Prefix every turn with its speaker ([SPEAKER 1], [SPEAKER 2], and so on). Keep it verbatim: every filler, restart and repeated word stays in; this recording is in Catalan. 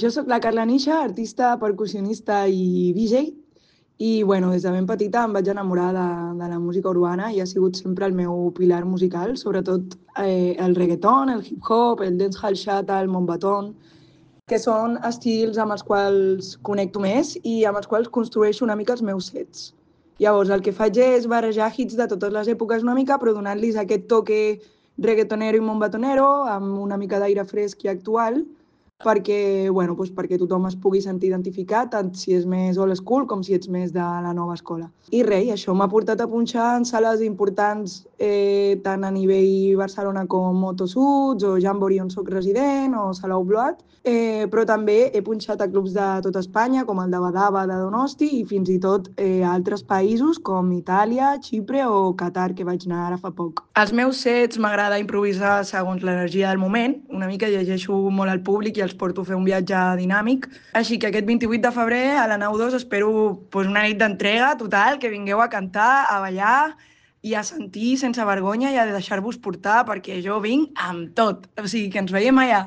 [SPEAKER 1] Jo sóc la Carla Nisha, artista, percussionista i D J, i bueno, des de ben petita em vaig enamorar de, de la música urbana i ha sigut sempre el meu pilar musical, sobretot eh, el reggaeton, el hip-hop, el dancehall chata, el mombaton, que són estils amb els quals connecto més i amb els quals construeixo una mica els meus sets. Llavors, el que faig és barrejar hits de totes les èpoques una mica, però donant-los aquest toque reggaetonero i mombatonero, amb una mica d'aire fresc i actual, perquè, bueno, doncs perquè tothom es pugui sentir identificat, tant si és més old school com si ets més de la nova escola. I res, això m'ha portat a punxar en sales importants eh, tant a nivell Barcelona com Motosuds o Jamboree on soc resident o Salou Bloat, eh, però també he punxat a clubs de tot Espanya com el de Badava de Donosti i fins i tot eh, a altres països com Itàlia, Xipre o Qatar, que vaig anar ara fa poc. Als meus sets m'agrada improvisar segons l'energia del moment, una mica llegeixo molt al públic i els porto a fer un viatge dinàmic, així que aquest vint-i-vuit de febrer a la nau dos espero pues, una nit d'entrega total, que vingueu a cantar, a ballar i a sentir sense vergonya i a deixar-vos portar perquè jo vinc amb tot, o sigui que ens veiem allà.